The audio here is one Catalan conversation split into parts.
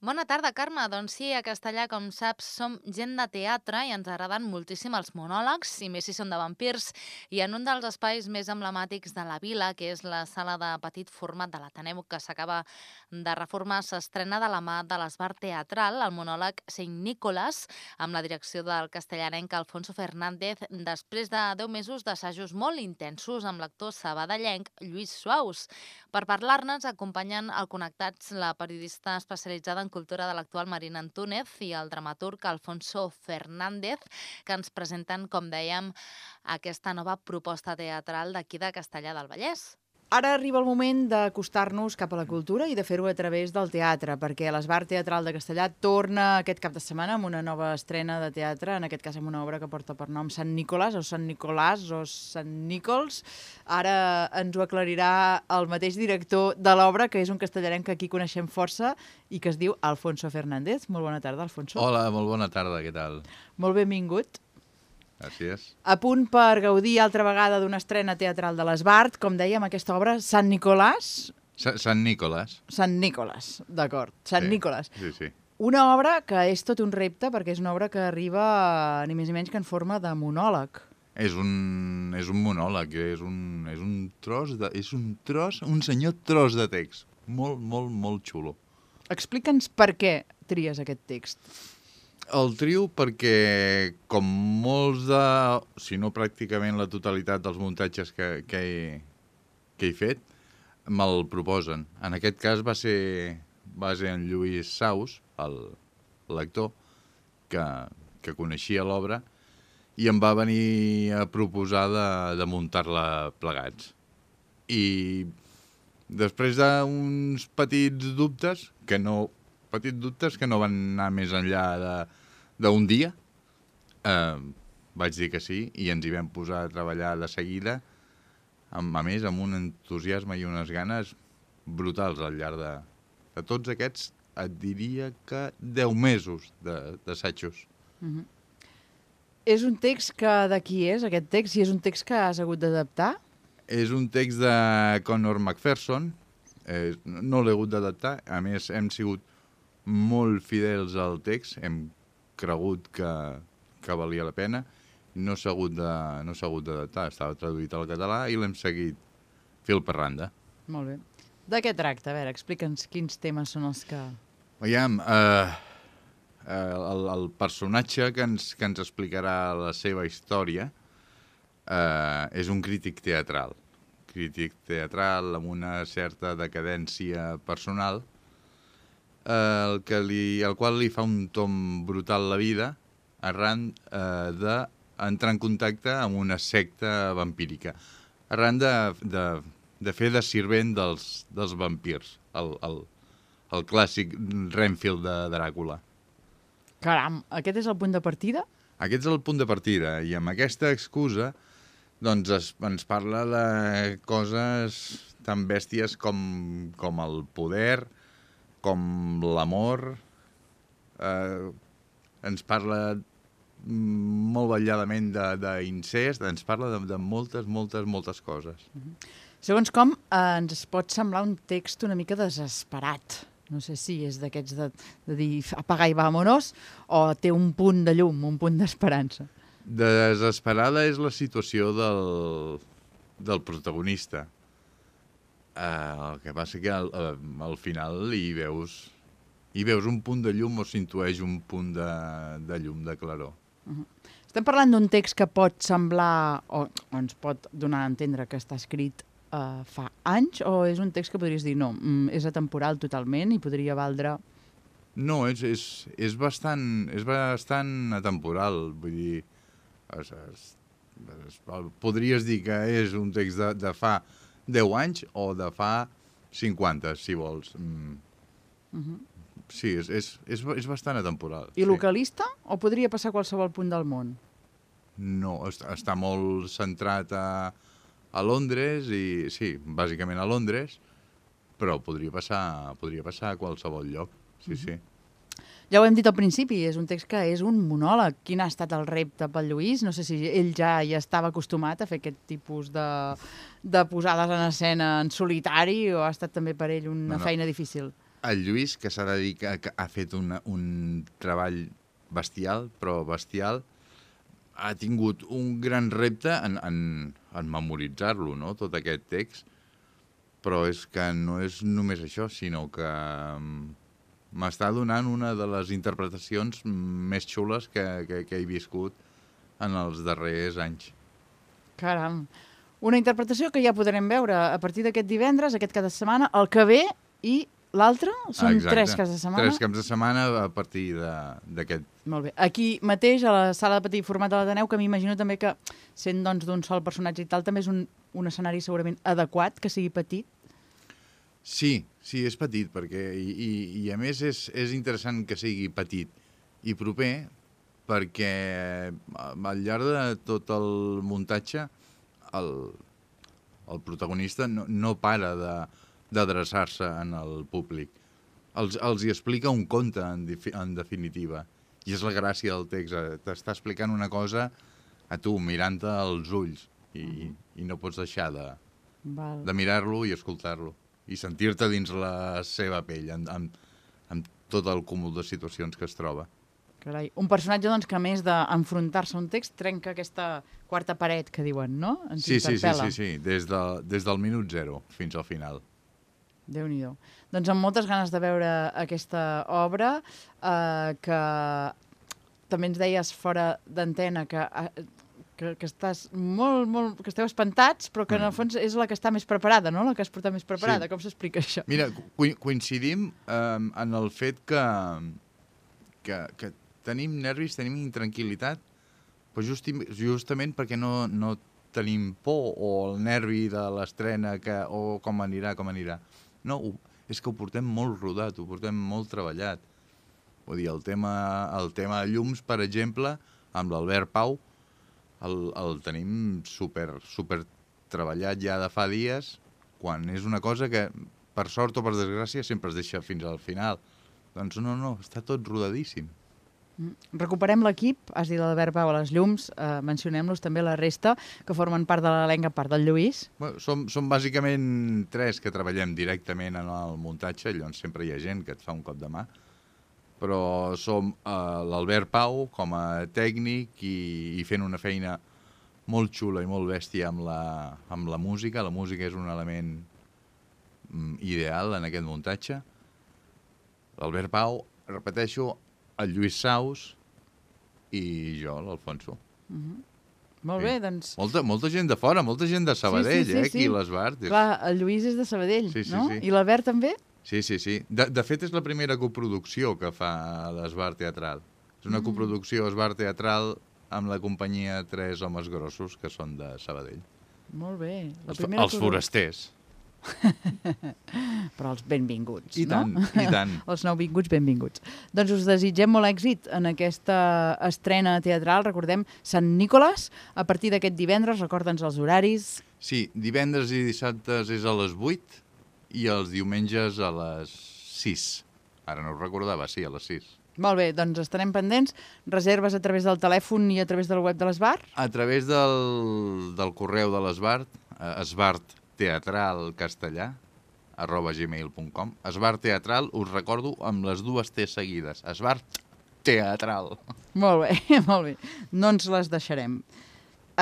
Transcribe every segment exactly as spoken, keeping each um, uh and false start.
Bona tarda, Carme. Doncs sí, a Castellà, com saps, som gent de teatre i ens agraden moltíssim els monòlegs, i més si són de vampirs. I en un dels espais més emblemàtics de la vila, que és la sala de petit format de l'Ateneu, que s'acaba de reformar, s'estrena de la mà de l'Esbar Teatral el monòleg Saint Nicholas, amb la direcció del castellanenc Alfonso Fernández, després de deu mesos d'assajos molt intensos amb l'actor sabadellenc Lluís Suaus. Per parlar-ne, acompanyen al Connectats la periodista especialitzada en cultura de l'actual Marina Antúnez i el dramaturg Alfonso Fernández, que ens presenten, com dèiem, aquesta nova proposta teatral d'aquí de Castellar del Vallès. Ara arriba el moment d'acostar-nos cap a la cultura i de fer-ho a través del teatre, perquè l'Esbar Teatral de Castellar torna aquest cap de setmana amb una nova estrena de teatre, en aquest cas amb una obra que porta per nom Sant Nicolàs, o Sant Nicolàs, o Sant Nícols. Ara ens ho aclarirà el mateix director de l'obra, que és un castellarenc que aquí coneixem força i que es diu Alfonso Fernández. Molt bona tarda, Alfonso. Hola, molt bona tarda, què tal? Molt benvingut. Gràcies. A punt per gaudir altra vegada d'una estrena teatral de l'Esbart, com dèiem, aquesta obra, Sant Nicolàs... Sa Sant Nicolàs. Sant Nicolàs, d'acord. Sant sí, Nicolàs. Sí, sí. Una obra que és tot un repte, perquè és una obra que arriba ni més ni menys que en forma de monòleg. És un, és un monòleg, és un, és un tros, de, és un tros, un senyor tros de text. Molt, molt, molt xulo. Explica'ns per què tries aquest text. El trio perquè, com molts de, si no pràcticament la totalitat dels muntatges que, que, he, que he fet, me'l proposen. En aquest cas va ser, va ser en Lluís Saus, l'actor, que, que coneixia l'obra, i em va venir a proposar de, de muntar-la plegats. I després d'uns petits dubtes, que no... petits dubtes que no van anar més enllà d'un dia, eh, vaig dir que sí i ens hi vam posar a treballar de seguida, amb, a més amb un entusiasme i unes ganes brutals al llarg de, de tots aquests, et diria que deu mesos d'assajos. Mm-hmm. És un text que de qui és, aquest text? I és un text que has hagut d'adaptar? És un text de Conor McPherson, eh, no l'he hagut d'adaptar, a més hem sigut molt fidels al text, hem cregut que, que valia la pena, no s'ha hagut de, no s'ha hagut d'adaptar, estava traduït al català i l'hem seguit fil per randa. Molt bé. De què tracta? A veure, explica'ns quins temes són els que... Veiem, eh, eh, el, el personatge que ens, que ens explicarà la seva història eh, és un crític teatral, crític teatral amb una certa decadència personal, El, que li, el qual li fa un tom brutal la vida arran eh, d'entrar en contacte amb una secta vampírica, arran de, de, de fer de sirvent dels, dels vampirs, el, el, el clàssic Renfield de Dràcula. Caram, aquest és el punt de partida? Aquest és el punt de partida, i amb aquesta excusa doncs es, ens parla de coses tan bèsties com, com el poder, com l'amor, eh, ens parla molt vetlladament d'incest, ens parla de, de moltes, moltes, moltes coses. Mm-hmm. Segons com, eh, ens pot semblar un text una mica desesperat. No sé si és d'aquests de, de dir apaga i vámonos, o té un punt de llum, un punt d'esperança. Desesperada és la situació del, del protagonista. Uh, el que passa que al, al final hi veus, hi veus un punt de llum o s'intueix un punt de, de llum, de claror. Uh-huh. Estem parlant d'un text que pot semblar, o, o ens pot donar a entendre que està escrit uh, fa anys, o és un text que podries dir no, mm, és atemporal totalment i podria valdre... No, és, és, és, bastant, és bastant atemporal, vull dir, es, es, es, podries dir que és un text de, de fa deu anys o de fa cinquanta, si vols. Mm. Uh-huh. Sí, és, és, és, és bastant atemporal. I sí. localista? O podria passar a qualsevol punt del món? No, està, està molt centrat a, a Londres, i sí, bàsicament a Londres, però podria passar, podria passar a qualsevol lloc, sí, uh-huh. sí. Ja ho hem dit al principi, és un text que és un monòleg. Quin ha estat el repte pel Lluís? No sé si ell ja hi estava acostumat a fer aquest tipus de, de posades en escena en solitari o ha estat també per ell una no, no. feina difícil? el Lluís, que s'ha de dir que, que ha fet una, un treball bestial, però bestial, ha tingut un gran repte en, en, en memoritzar-lo, no?, tot aquest text, però és que no és només això, sinó que m'està donant una de les interpretacions més xules que, que, que he viscut en els darrers anys. Caram. Una interpretació que ja podrem veure a partir d'aquest divendres, aquest cap de setmana, el que ve i l'altre. Són Exacte. tres caps de setmana. Tres caps de setmana a partir d'aquest. Molt bé. Aquí mateix, a la sala de petit format de l'Ateneu, que m'imagino també que, sent doncs d'un sol personatge i tal, també és un, un escenari segurament adequat, que sigui petit. Sí, sí, és petit, perquè, i, i, i a més és, és interessant que sigui petit i proper, perquè al llarg de tot el muntatge el, el protagonista no, no para de, d'adreçar-se en el públic. Els, els hi explica un conte, en, en definitiva, i és la gràcia del text. T'està explicant una cosa a tu, mirant-te als ulls, i, uh-huh. i no pots deixar de, de mirar-lo i escoltar-lo, i sentir-te dins la seva pell, amb, amb, amb tot el cúmul de situacions que es troba. Carai. Un personatge, doncs, que a més d'enfrontar-se a un text, trenca aquesta quarta paret que diuen, no? Ens sí, sí, sí, interpel·la. sí, sí, des, de, des del minut zero fins al final. Déu-n'hi-do. Doncs amb moltes ganes de veure aquesta obra, eh, que també ens deies fora d'antena que, que, que estàs molt, molt, que esteu espantats, però que en el fons és la que està més preparada, no? La que has portat més preparada. Sí. Com s'explica això? Mira, coincidim eh, en el fet que, que, que tenim nervis, tenim intranquil·litat, però justi, justament perquè no, no tenim por o el nervi de l'estrena que, o com anirà, com anirà. No, és que ho portem molt rodat, ho portem molt treballat. Vull dir, el tema, el tema llums, per exemple, amb l'Albert Pau, el, el tenim super, super treballat ja de fa dies, quan és una cosa que, per sort o per desgràcia, sempre es deixa fins al final. Doncs no, no, està tot rodadíssim. Recuperem l'equip, has dit l'Albert Pau a les llums, eh, mencionem-los també la resta, que formen part de l'elenc, a part del Lluís. Bueno, som, som bàsicament tres que treballem directament en el muntatge, llavors sempre hi ha gent que et fa un cop de mà, però som eh, l'Albert Pau com a tècnic i, i fent una feina molt xula i molt bèstia amb la, amb la música. La música és un element mm, ideal en aquest muntatge. L'Albert Pau, repeteixo, el Lluís Saus i jo, l'Alfonso. Uh-huh. Molt sí. Bé, doncs... Molta, molta gent de fora, molta gent de Sabadell, sí, sí, sí, eh, aquí sí. A l'Esbart. Clar, el Lluís és de Sabadell, sí, sí, no? Sí. I l'Albert també? Sí, sí, sí. De, de fet, és la primera coproducció que fa l'Esbart Teatral. És una mm. coproducció Esbart Teatral amb la companyia Tres Homes Grossos, que són de Sabadell. Molt bé. La els, primera els forasters. Però els benvinguts, I no? tant, i tant. Els nouvinguts benvinguts. Doncs us desitgem molt èxit en aquesta estrena teatral. Recordem, Sant Nicolas, a partir d'aquest divendres, recorda'ns els horaris. Sí, divendres i dissabtes és a les vuit i els diumenges a les sis. Ara no ho recordava, sí, a les sis. Molt bé, doncs estarem pendents. Reserves a través del telèfon i a través del web de l'Esbart? A través del, del correu de l'Esbart, eh, Esbart teatral castellà arroba gmail punt com. Esbart Teatral, us recordo, amb les dues T seguides. Esbart Teatral. Molt bé, molt bé. No ens les deixarem.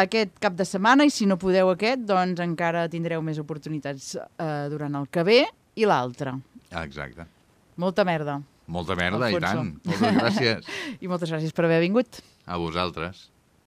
Aquest cap de setmana, i si no podeu aquest, doncs encara tindreu més oportunitats eh, durant el que ve i l'altre. Exacte. Molta merda. Molta merda, Alfonso. I tant. Moltes gràcies. I moltes gràcies per haver vingut. A vosaltres.